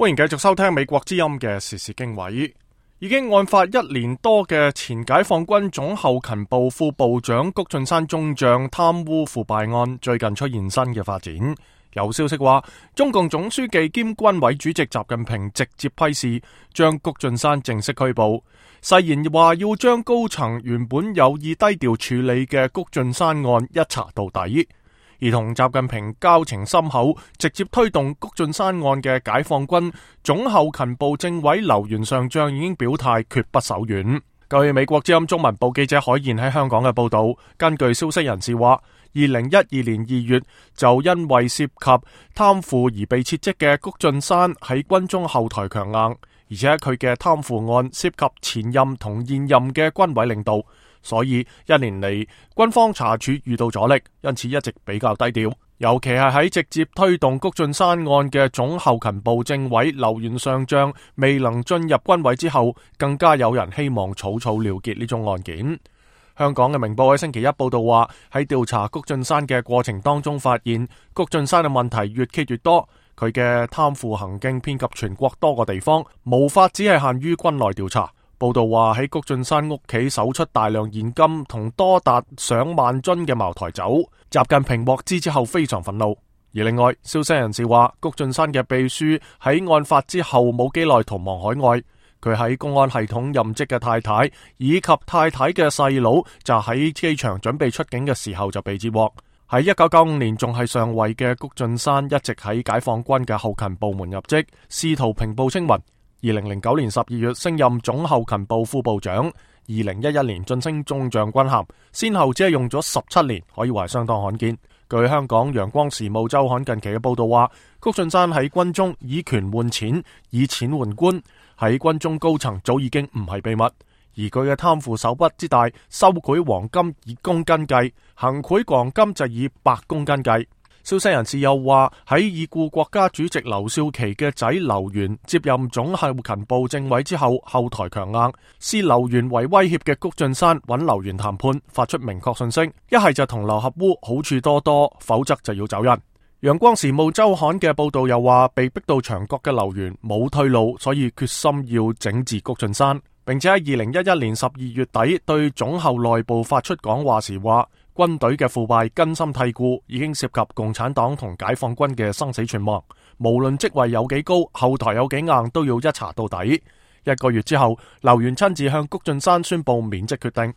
歡迎繼續收聽美國之音嘅時事經緯。已經案發1年多嘅前解放軍總後勤部副部長谷俊山中將貪污腐敗案，最近出現新嘅發展。有消息話，中共總書記兼軍委主席習近平直接批示，將谷俊山正式拘捕，誓言話要將高層原本有意低調處理嘅谷俊山案一查到底。而同習近平交情深厚，直接推動谷俊山案嘅解放軍總後勤部政委劉元上將已經表態決不手軟。據美國之音中文部記者海燕喺香港嘅報道，根據消息人士話，2012年2月就因為涉及貪腐而被撤職嘅谷俊山喺軍中後台強硬，而且佢嘅貪腐案涉及前任同現任嘅軍委領導。所以1年嚟，軍方查處遇到阻力，因此一直比較低調。尤其係喺直接推動谷俊山案嘅總後勤部政委劉元上將未能進入軍委之後，更加有人希望草草了結呢宗案件。香港嘅明報喺星期一報道話，喺調查谷俊山嘅過程當中，發現谷俊山嘅問題越揭越多，佢嘅貪腐行徑遍及全國多個地方，無法只係限於軍內調查。報道話喺谷俊山屋企搜出大量現金同多達上萬樽嘅茅台酒，習近平獲知之後非常憤怒。而另外，消息人士話，谷俊山嘅秘書喺案發之後冇幾耐逃亡海外，佢喺公安系統任職嘅太太以及太太嘅細佬就喺機場準備出境嘅時候就被截獲。喺1995年仲係上尉嘅谷俊山一直喺解放軍嘅後勤部門入職，試圖平步青雲。2009年12月升任總後勤部副部長，2011年晉升中將軍銜，先後只係用咗17年，可以話相當罕見。據香港陽光時務周刊近期嘅報道話，谷俊山喺軍中以權換錢，以錢換官，喺軍中高層早已經唔係秘密。而佢嘅貪腐手筆之大，收賄黃金以公斤計，行賄黃金就以百公斤計。消息人士又話，喺已故國家主席劉少奇嘅仔劉源接任總後勤部政委之後，後台強硬，視劉源為威脅嘅谷俊山揾劉源談判，發出明確訊息：一係就同流合污，好處多多，否則就要走人。陽光時務周刊嘅報道又話，被逼到牆角嘅劉源冇退路，所以決心要整治谷俊山，並且喺2011年12月底對總後內部發出講話時話，軍隊嘅腐敗根深蒂固，已經涉及共產黨同解放軍嘅生死存亡。無論職位有幾高，後台有幾硬，都要一查到底。1個月之後，劉源親自向谷俊山宣布免職決定。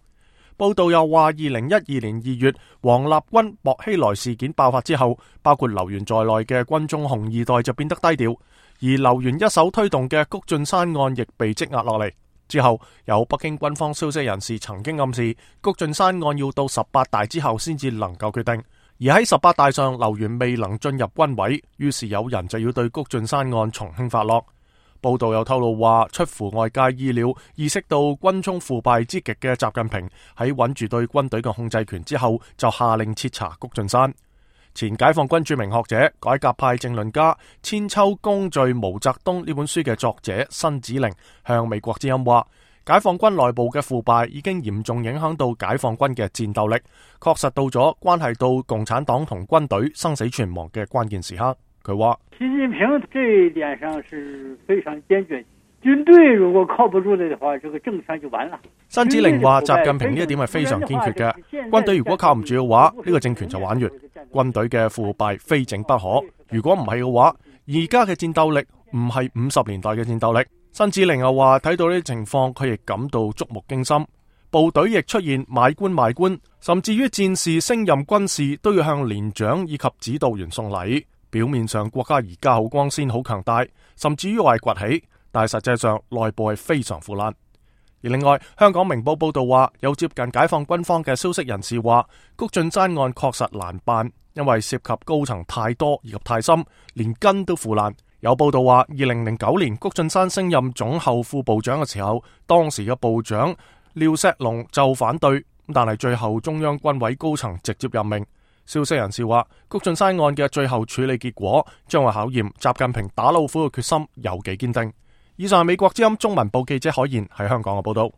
報道又話，2012年2月，王立軍薄熙來事件爆發之後，包括劉源在內嘅軍中紅二代就變得低調，而劉源一手推動嘅谷俊山案亦被積壓落嚟。之後，有北京軍方消息人士曾經暗示，谷俊山案要到18大之後先至能夠決定。而喺18大上，劉源未能進入軍委，於是有人就要對谷俊山案從輕發落。報道又透露話，出乎外界意料，意識到軍中腐敗之極嘅習近平喺穩住對軍隊嘅控制權之後，就下令徹查谷俊山。前解放軍著名學者、改革派政論家《千秋功罪毛澤東》呢本書嘅作者辛子玲向美國之音話，解放軍內部嘅腐敗已經嚴重影響到解放軍嘅戰鬥力，確實到咗關係到共產黨同軍隊生死存亡嘅關鍵時刻。佢話，習近平這一點上是非常堅決，軍隊如果靠不住的話，這個政權就完了。辛子玲話，習近平呢一點係非常堅決嘅，軍隊如果靠唔住嘅話，呢個政權就玩完。軍隊嘅腐敗非整不可，如果唔係嘅話，而家嘅戰鬥力唔係50年代嘅戰鬥力。辛子玲又話，睇到呢啲情況，佢亦感到觸目驚心。部隊亦出現買官賣官，甚至於戰士升任軍士都要向連長以及指導員送禮。表面上國家而家好光鮮好強大，甚至於話係崛起，但係實際上內部係非常腐爛。而另外，香港明報報道話，有接近解放軍方嘅消息人士話，谷俊山案確實難辦，因為涉及高層太多以及太深，連根都腐爛。有報道話，2009年谷俊山升任總後副部長嘅時候，當時嘅部長廖錫龍就反對，但係最後中央軍委高層直接任命。消息人士話，谷俊山案嘅最後處理結果將會考驗習近平打老虎嘅決心有幾堅定。以上係美國之音中文部記者海燕喺香港嘅報道。